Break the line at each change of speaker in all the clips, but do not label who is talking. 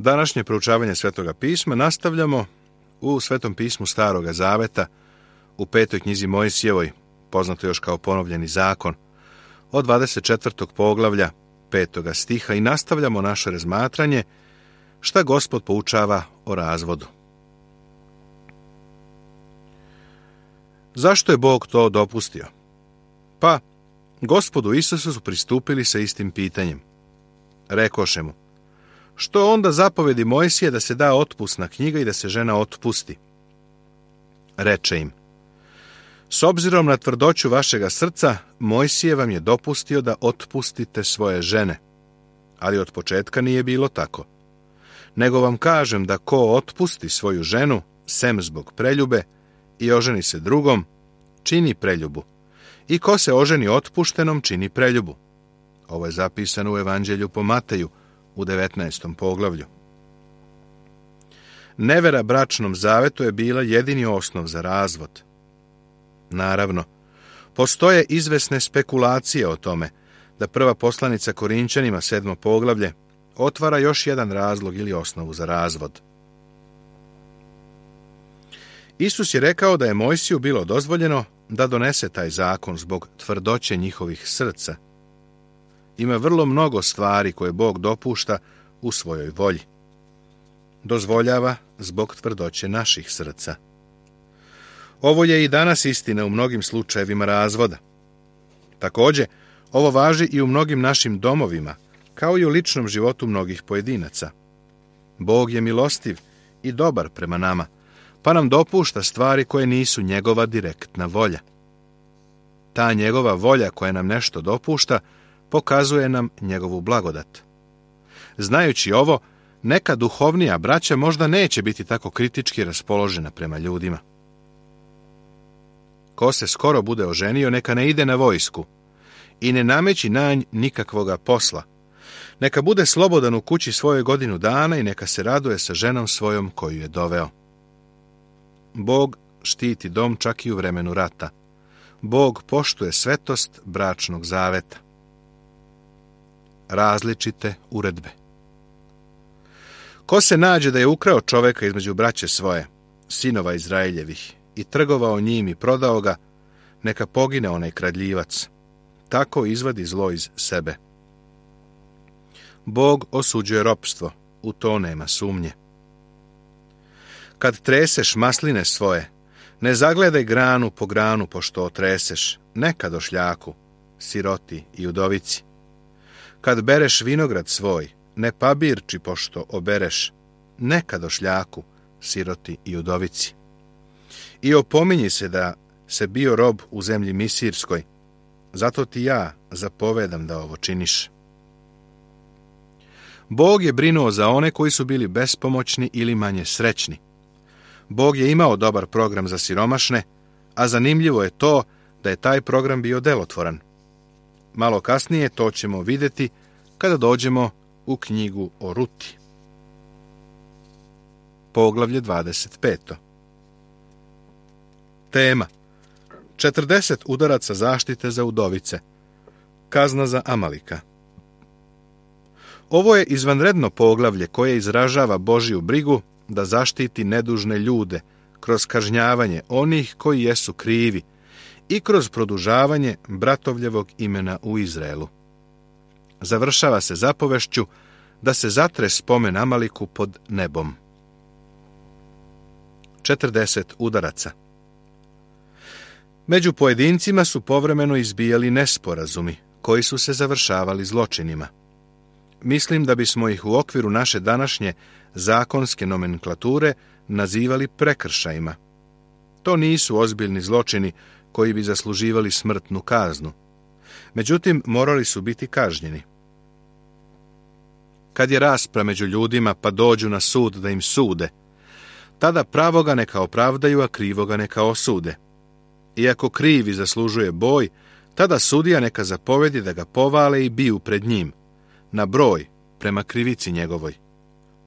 Današnje proučavanje Svetoga pisma nastavljamo u Svetom pismu Staroga Zaveta, u 5. knjizi Mojsijevoj, poznato još kao Ponovljeni zakon, od 24. poglavlja 5. stiha i nastavljamo naše razmatranje šta Gospod poučava o razvodu. Zašto je Bog to dopustio? Pa, Gospodu Isusu su pristupili sa istim pitanjem. Rekoše mu, što onda zapovedi Mojsije da se da otpusna knjiga i da se žena otpusti? Reče im, s obzirom na tvrdoću vašega srca, Mojsije vam je dopustio da otpustite svoje žene, ali od početka nije bilo tako. Nego vam kažem da ko otpusti svoju ženu, sem zbog preljube, i oženi se drugom, čini preljubu. I ko se oženi otpuštenom, čini preljubu. Ovo je zapisano u Evanđelju po Mateju, u 19. poglavlju. Nevera bračnom zavetu je bila jedini osnov za razvod. Naravno, postoje izvesne spekulacije o tome da prva poslanica Korinčanima, 7. poglavlje, otvara još jedan razlog ili osnovu za razvod. Isus je rekao da je Mojsiju bilo dozvoljeno da donese taj zakon zbog tvrdoće njihovih srca. Ima vrlo mnogo stvari koje Bog dopušta u svojoj volji. Dozvoljava zbog tvrdoće naših srca. Ovo je i danas istina u mnogim slučajevima razvoda. Također, ovo važi i u mnogim našim domovima, kao i u ličnom životu mnogih pojedinaca. Bog je milostiv i dobar prema nama, pa nam dopušta stvari koje nisu njegova direktna volja. Ta njegova volja koja nam nešto dopušta, pokazuje nam njegovu blagodat. Znajući ovo, neka duhovnija braća možda neće biti tako kritički raspoložena prema ljudima. Ko se skoro bude oženio, neka ne ide na vojsku i ne nameći na nj nikakvoga posla. Neka bude slobodan u kući svoje godinu dana i neka se raduje sa ženom svojom koju je doveo. Bog štiti dom čak i u vremenu rata. Bog poštuje svetost bračnog zaveta. Različite uredbe. Ko se nađe da je ukrao čoveka između braće svoje, sinova Izraeljevih, i trgovao njim i prodao ga, neka pogine onaj kradljivac. Tako izvadi zlo iz sebe. Bog osuđuje ropstvo, u to nema sumnje. Kad treseš masline svoje, ne zagledaj granu po granu pošto otreseš, neka došljaku, siroti i udovici. Kad bereš vinograd svoj, ne pabirči pošto obereš, neka došljaku, siroti i udovici. I opominji se da se bio rob u zemlji Misirskoj, zato ti ja zapovedam da ovo činiš. Bog je brinuo za one koji su bili bespomoćni ili manje srećni. Bog je imao dobar program za siromašne, a zanimljivo je to da je taj program bio delotvoran. Malo kasnije to ćemo vidjeti kada dođemo u knjigu o Ruti. Poglavlje 25. Tema: 40 udaraca zaštite za udovice. Kazna za Amalika. Ovo je izvanredno poglavlje koje izražava Božju brigu da zaštiti nedužne ljude kroz kažnjavanje onih koji jesu krivi i kroz produžavanje bratovljevog imena u Izraelu. Završava se zapovešću da se zatre spomen Amaliku pod nebom. 40 udaraca. Među pojedincima su povremeno izbijali nesporazumi, koji su se završavali zločinima. Mislim da bismo ih u okviru naše današnje zakonske nomenklature nazivali prekršajima. To nisu ozbiljni zločini koji bi zasluživali smrtnu kaznu. Međutim, morali su biti kažnjeni. Kad je rasprava među ljudima pa dođu na sud da im sude, tada pravoga neka opravdaju, a krivoga neka osude. Iako krivi zaslužuje boj, tada sudija neka zapovedi da ga povale i biju pred njim, na broj, prema krivici njegovoj.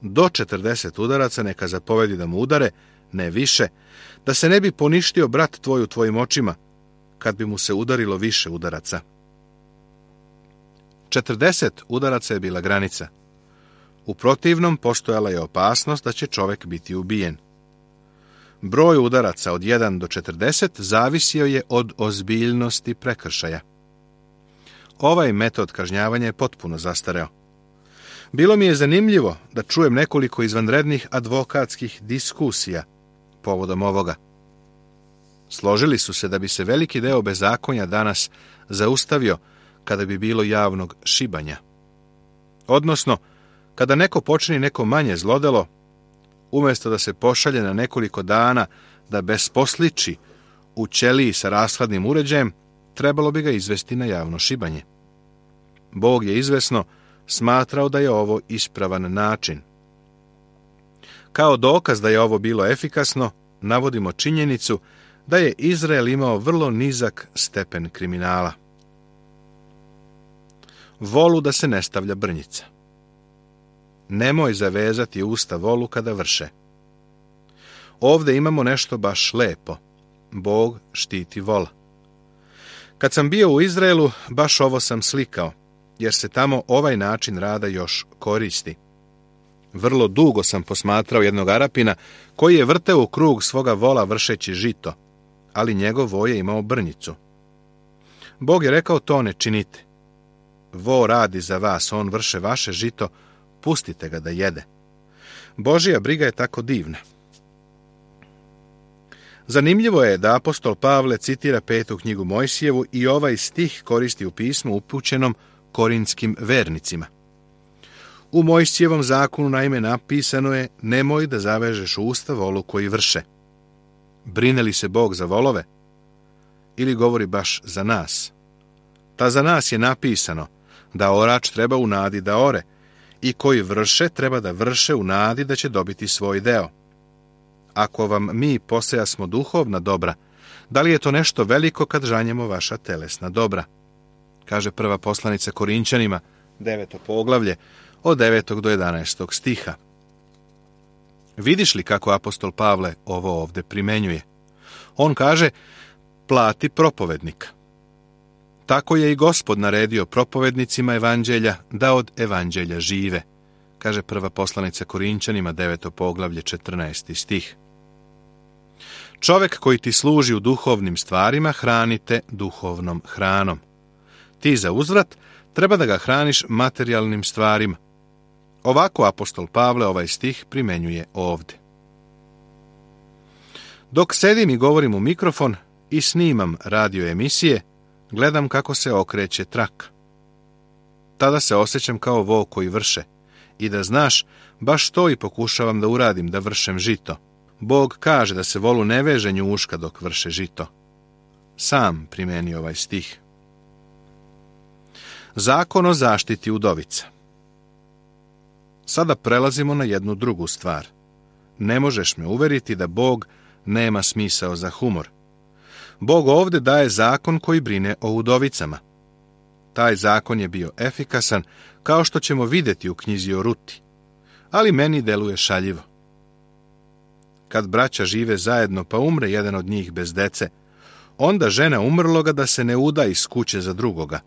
Do 40 udaraca neka zapovedi da mu udare, ne više, da se ne bi poništio brat tvoj u tvojim očima, kad bi mu se udarilo više udaraca. 40 udaraca je bila granica. U protivnom postojala je opasnost da će čovjek biti ubijen. Broj udaraca od 1 do 40 zavisio je od ozbiljnosti prekršaja. Ovaj metod kažnjavanja je potpuno zastareo. Bilo mi je zanimljivo da čujem nekoliko izvanrednih advokatskih diskusija povodom ovoga. Složili su se da bi se veliki deo bezakonja danas zaustavio kada bi bilo javnog šibanja. Odnosno, kada neko počini neko manje zlodelo, umjesto da se pošalje na nekoliko dana da besposliči u ćeliji sa rashladnim uređajem, trebalo bi ga izvesti na javno šibanje. Bog je izvesno smatrao da je ovo ispravan način. Kao dokaz da je ovo bilo efikasno, navodimo činjenicu da je Izrael imao vrlo nizak stepen kriminala. Volu da se ne stavlja brnjica. Nemoj zavezati usta volu kada vrše. Ovdje imamo nešto baš lepo. Bog štiti vola. Kad sam bio u Izraelu, baš ovo sam slikao, jer se tamo ovaj način rada još koristi. Vrlo dugo sam posmatrao jednog Arapina koji je vrteo u krug svoga vola vršeći žito, ali njegov vo je imao brnjicu. Bog je rekao, to ne činite. Vo radi za vas, on vrše vaše žito, pustite ga da jede. Božja briga je tako divna. Zanimljivo je da apostol Pavle citira 5. knjigu Mojsijevu i ovaj stih koristi u pismu upućenom korintskim vernicima. U Mojsijevom zakonu naime napisano je: nemoj da zavežeš usta volu koji vrše. Brine li se Bog za volove? Ili govori baš za nas? Ta za nas je napisano da orač treba u nadi da ore i koji vrše treba da vrše u nadi da će dobiti svoj deo. Ako vam mi posejasmo duhovna dobra, da li je to nešto veliko kad žanjemo vaša telesna dobra? Kaže prva poslanica Korinćanima, 9. poglavlje, od 9. do 11. stiha. Vidiš li kako apostol Pavle ovo ovdje primenjuje? On kaže, plati propovednika. Tako je i Gospod naredio propovednicima evanđelja da od evanđelja žive, kaže prva poslanica Korinćanima, 9. poglavlje, 14. stih. Čovjek koji ti služi u duhovnim stvarima hranite duhovnom hranom. Ti za uzvrat treba da ga hraniš materijalnim stvarima. Ovako apostol Pavle ovaj stih primenjuje ovdje. Dok sedim i govorim u mikrofon i snimam radio emisije, gledam kako se okreće traka. Tada se osjećam kao vo koji vrše. I da znaš, baš to i pokušavam da uradim, da vršem žito. Bog kaže da se volu ne veže njuška dok vrše žito. Sam primeni ovaj stih. Zakon o zaštiti udovica. Sada prelazimo na jednu drugu stvar. Ne možeš me uveriti da Bog nema smisao za humor. Bog ovdje daje zakon koji brine o udovicama. Taj zakon je bio efikasan, kao što ćemo vidjeti u knjizi o Ruti, ali meni deluje šaljivo. Kad braća žive zajedno pa umre jedan od njih bez dece, onda žena umrloga da se ne uda iz kuće za drugoga.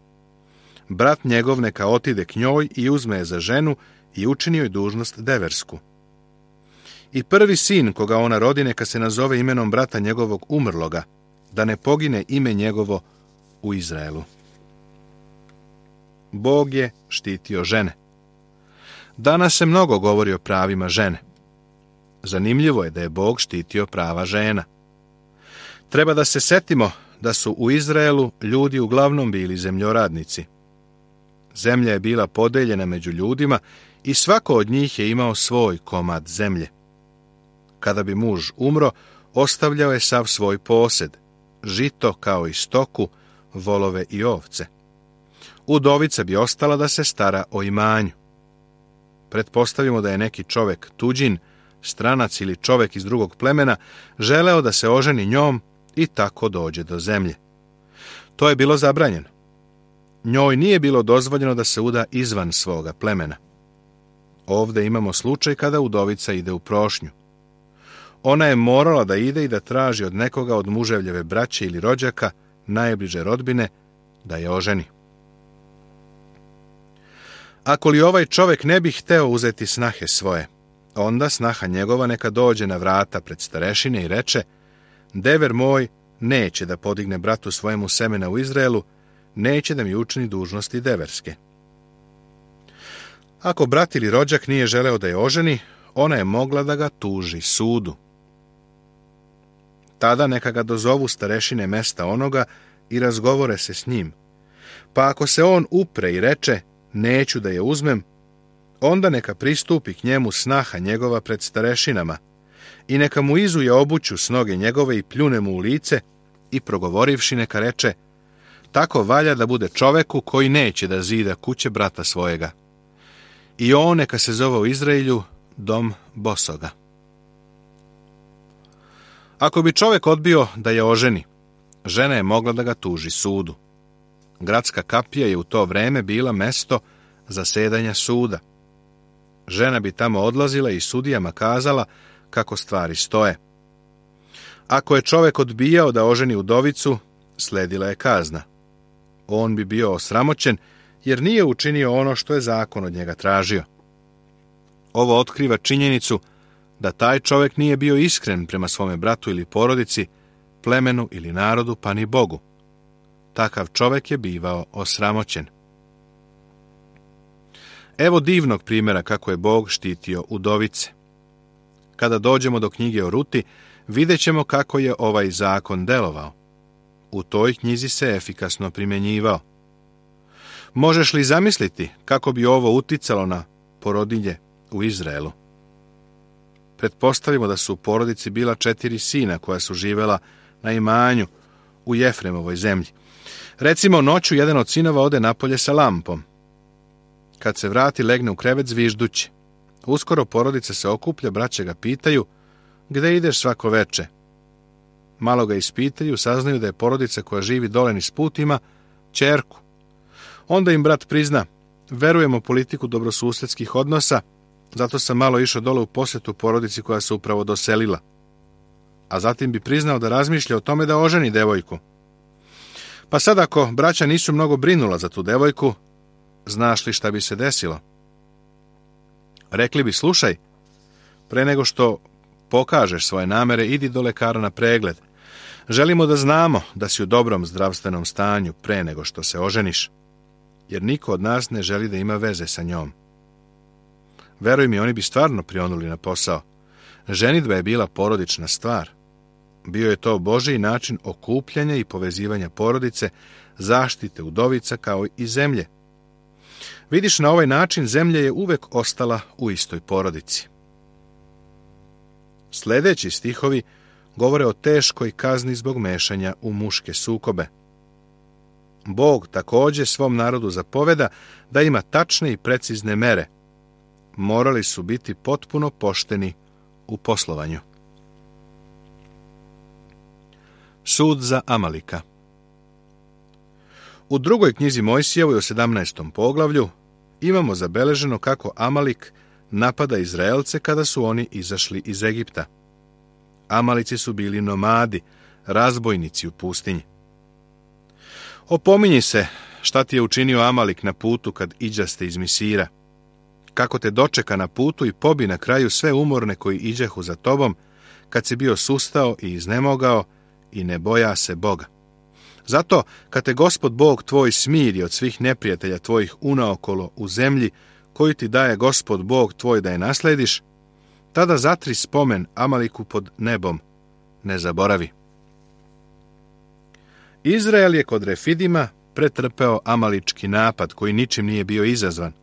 Brat njegov neka otide k njoj i uzme je za ženu i učini joj dužnost deversku. I prvi sin koga ona rodi neka se nazove imenom brata njegovog umrloga, da ne pogine ime njegovo u Izraelu. Bog je štitio žene. Danas se mnogo govori o pravima žene. Zanimljivo je da je Bog štitio prava žena. Treba da se setimo da su u Izraelu ljudi uglavnom bili zemljoradnici. Zemlja je bila podeljena među ljudima i svako od njih je imao svoj komad zemlje. Kada bi muž umro, ostavljao je sav svoj posed, žito kao i stoku, volove i ovce. Udovica bi ostala da se stara o imanju. Pretpostavimo da je neki čovjek tuđin, stranac ili čovjek iz drugog plemena želeo da se oženi njom i tako dođe do zemlje. To je bilo zabranjeno. Njoj nije bilo dozvoljeno da se uda izvan svoga plemena. Ovdje imamo slučaj kada udovica ide u prošnju. Ona je morala da ide i da traži od nekoga od muževljeve braće ili rođaka, najbliže rodbine, da je oženi. Ako li ovaj čovjek ne bi hteo uzeti snahe svoje, onda snaha njegova neka dođe na vrata pred starešine i reče: dever moj neće da podigne bratu svojemu semena u Izraelu, neće da mi učini dužnosti deverske. Ako brat ili rođak nije želeo da je oženi, ona je mogla da ga tuži sudu. Tada neka ga dozovu starešine mesta onoga i razgovore se s njim. Pa ako se on upre i reče: neću da je uzmem, onda neka pristupi k njemu snaha njegova pred starešinama i neka mu izuje obuću s noge njegove i pljune mu u lice i progovorivši neka reče: tako valja da bude čoveku koji neće da zida kuće brata svojega. I on neka se zove u Izraelju dom bosoga. Ako bi čovjek odbio da je oženi, žena je mogla da ga tuži sudu. Gradska kapija je u to vreme bila mesto zasedanja suda. Žena bi tamo odlazila i sudijama kazala kako stvari stoje. Ako je čovjek odbijao da oženi udovicu, sledila je kazna. On bi bio osramoćen jer nije učinio ono što je zakon od njega tražio. Ovo otkriva činjenicu da taj čovjek nije bio iskren prema svome bratu ili porodici, plemenu ili narodu, pa ni Bogu. Takav čovjek je bivao osramoćen. Evo divnog primjera kako je Bog štitio udovice. Kada dođemo do knjige o Ruti, vidjet ćemo kako je ovaj zakon delovao. U toj knjizi se efikasno primjenjivao. Možeš li zamisliti kako bi ovo uticalo na porodilje u Izraelu? Pretpostavimo da su u porodici bila 4 sina koja su živela na imanju u Jefremovoj zemlji. Recimo, noću jedan od sinova ode napolje sa lampom. Kad se vrati, legne u krevet zviždući. Uskoro porodica se okuplja, braća ga pitaju: gde ideš svako veče? Malo ga ispitaju, saznaju da je porodica koja živi dole niz put ima ćerku. Onda im brat prizna: verujemo politiku dobrosusedskih odnosa, zato sam malo išao dole u posjetu porodici koja se upravo doselila. A zatim bi priznao da razmišlja o tome da oženi devojku. Pa sad ako braća nisu mnogo brinula za tu devojku, znaš li šta bi se desilo? Rekli bi: slušaj, pre nego što pokažeš svoje namere, idi do lekara na pregled. Želimo da znamo da si u dobrom zdravstvenom stanju pre nego što se oženiš, jer niko od nas ne želi da ima veze sa njom. Veruj mi, oni bi stvarno prionuli na posao. Ženidba je bila porodična stvar. Bio je to Božji način okupljanja i povezivanja porodice, zaštite udovica kao i zemlje. Vidiš, na ovaj način zemlja je uvek ostala u istoj porodici. Sljedeći stihovi govore o teškoj kazni zbog mešanja u muške sukobe. Bog također svom narodu zapoveda da ima tačne i precizne mere. Morali su biti potpuno pošteni u poslovanju. Sud za Amalika. U drugoj knjizi Mojsijevoj u 17. poglavlju imamo zabeleženo kako Amalik napada Izraelce kada su oni izašli iz Egipta. Amalici su bili nomadi, razbojnici u pustinji. Opominji se šta ti je učinio Amalik na putu kad iđaste iz Misira. Kako te dočeka na putu i pobi na kraju sve umorne koji iđehu za tobom, kad si bio sustao i iznemogao i ne boja se Boga. Zato, kad te Gospod Bog tvoj smiri od svih neprijatelja tvojih unaokolo u zemlji, koju ti daje Gospod Bog tvoj da je naslediš, tada zatri spomen Amaliku pod nebom, ne zaboravi. Izrael je kod Refidima pretrpeo amalički napad koji ničim nije bio izazvan.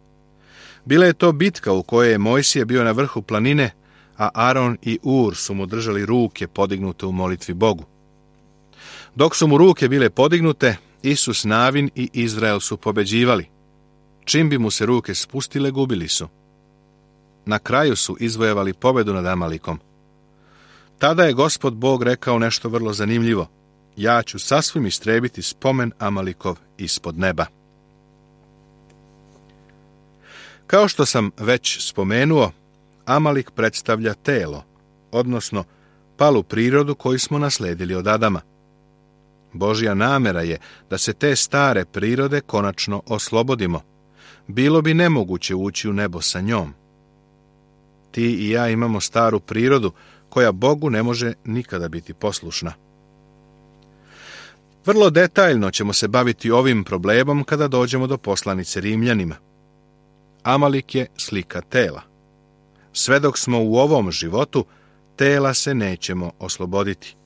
Bila je to bitka u kojoj je Mojsije bio na vrhu planine, a Aron i Ur su mu držali ruke podignute u molitvi Bogu. Dok su mu ruke bile podignute, Isus Navin i Izrael su pobeđivali. Čim bi mu se ruke spustile, gubili su. Na kraju su izvojevali pobedu nad Amalikom. Tada je Gospod Bog rekao nešto vrlo zanimljivo: ja ću sasvim istrebiti spomen Amalikov ispod neba. Kao što sam već spomenuo, Amalik predstavlja telo, odnosno palu prirodu koju smo nasledili od Adama. Božja namera je da se te stare prirode konačno oslobodimo, bilo bi nemoguće ući u nebo sa njom. Ti i ja imamo staru prirodu koja Bogu ne može nikada biti poslušna. Vrlo detaljno ćemo se baviti ovim problemom kada dođemo do poslanice Rimljanima. Amalik je slika tela. Sve dok smo u ovom životu, tela se nećemo osloboditi.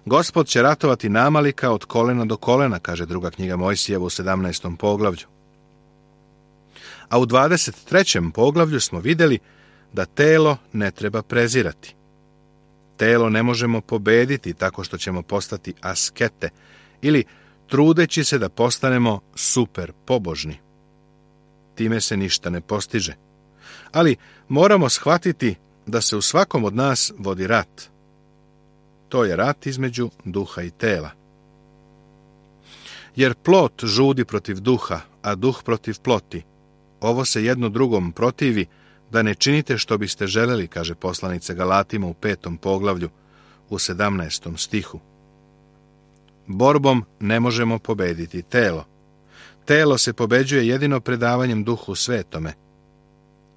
Gospod će ratovati na Amalika od kolena do kolena, kaže druga knjiga Mojsijeva u 17. poglavlju. A u 23. poglavlju smo vidjeli da telo ne treba prezirati. Telo ne možemo pobediti tako što ćemo postati askete ili trudeći se da postanemo super pobožni. Time se ništa ne postiže. Ali moramo shvatiti da se u svakom od nas vodi rat. To je rat između duha i tela. Jer plot žudi protiv duha, a duh protiv ploti. Ovo se jedno drugom protivi, da ne činite što biste želeli, kaže poslanica Galatima u 5. poglavlju, u 17. stihu. Borbom ne možemo pobediti telo. Telo se pobeđuje jedino predavanjem Duhu Svetome.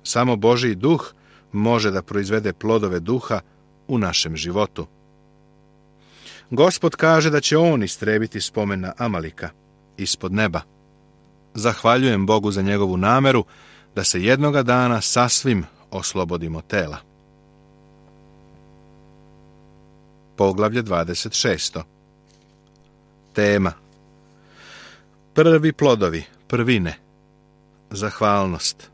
Samo Božji duh može da proizvede plodove duha u našem životu. Gospod kaže da će on istrebiti spomen na Amalika ispod neba. Zahvaljujem Bogu za njegovu nameru da se jednoga dana sasvim oslobodimo tela. Poglavlje 26. Tema: prvi plodovi, prvine, zahvalnost.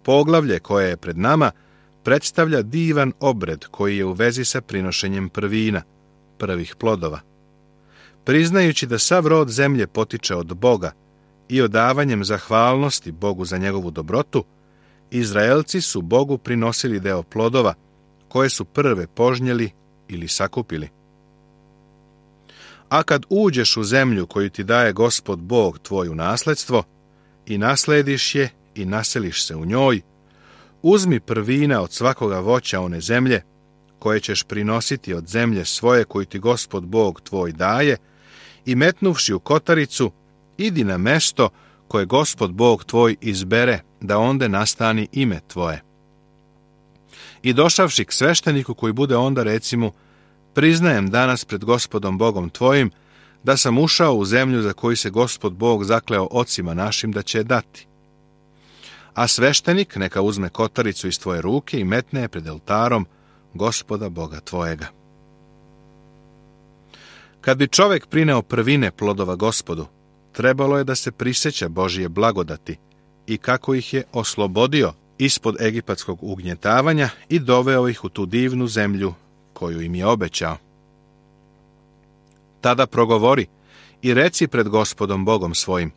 Poglavlje koje je pred nama predstavlja divan obred koji je u vezi sa prinošenjem prvina, prvih plodova. Priznajući da sav rod zemlje potiče od Boga i odavanjem zahvalnosti Bogu za njegovu dobrotu, Izraelci su Bogu prinosili deo plodova koje su prve požnjeli ili sakupili. A kad uđeš u zemlju koju ti daje Gospod Bog tvoj u nasledstvo i naslediš je i naseliš se u njoj, uzmi prvina od svakoga voća one zemlje koje ćeš prinositi od zemlje svoje koju ti Gospod Bog tvoj daje i metnuvši u kotaricu, idi na mesto koje Gospod Bog tvoj izbere da onde nastani ime tvoje. I došavši k svešteniku koji bude onda reci mu: priznajem danas pred Gospodom Bogom tvojim da sam ušao u zemlju za koju se Gospod Bog zakleo ocima našim da će je dati. A sveštenik neka uzme kotaricu iz tvoje ruke i metne je pred oltarom Gospoda Boga tvojega. Kad bi čovjek prineo prvine plodova Gospodu, trebalo je da se prisjeća Božije blagodati i kako ih je oslobodio ispod egipatskog ugnjetavanja i doveo ih u tu divnu zemlju koju im je obećao. Tada progovori i reci pred Gospodom Bogom svojim: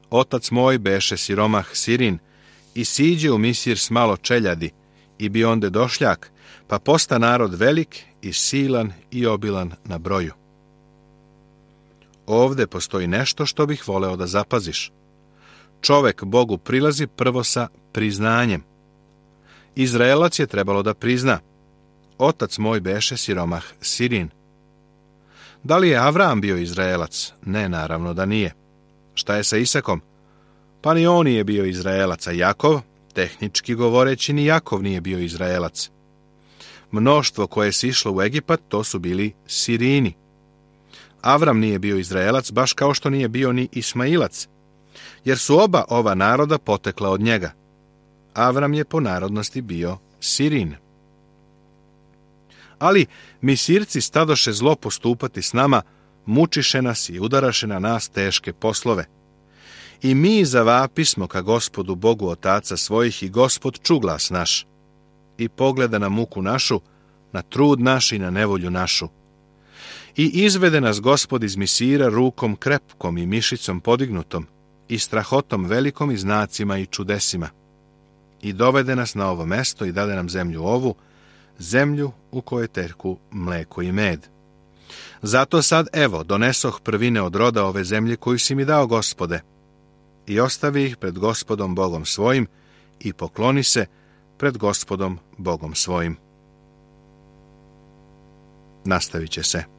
otac moj beše siromah Sirin i siđe u Misir s malo čeljadi i bi onde došljak, pa posta narod velik i silan i obilan na broju. Ovde postoji nešto što bih voleo da zapaziš. Čovek Bogu prilazi prvo sa priznanjem. Izraelac je trebalo da prizna: otac moj beše siromah Sirin. Da li je Avram bio Izraelac? Ne, naravno da nije. Šta je sa Isakom? Pa ni on nije bio Izraelac, a Jakov, tehnički govoreći, ni Jakov nije bio Izraelac. Mnoštvo koje se išlo u Egipat, to su bili Sirini. Avram nije bio Izraelac, baš kao što nije bio ni Ismailac, jer su oba ova naroda potekla od njega. Avram je po narodnosti bio Sirin. Ali Misirci stadoše zlo postupati s nama, mučiše nas i udaraše na nas teške poslove. I mi zavapismo ka Gospodu Bogu otaca svojih i Gospod ču glas naš i pogleda na muku našu, na trud naš i na nevolju našu. I izvede nas Gospod iz Misira rukom krepkom i mišicom podignutom i strahotom velikom i znacima i čudesima. I dovede nas na ovo mesto i dade nam zemlju ovu, zemlju u kojoj teku mleko i med. Zato sad, evo, donesoh prvine od roda ove zemlje koju si mi dao, Gospode, i ostavi ih pred Gospodom Bogom svojim i pokloni se pred Gospodom Bogom svojim. Nastavit će se.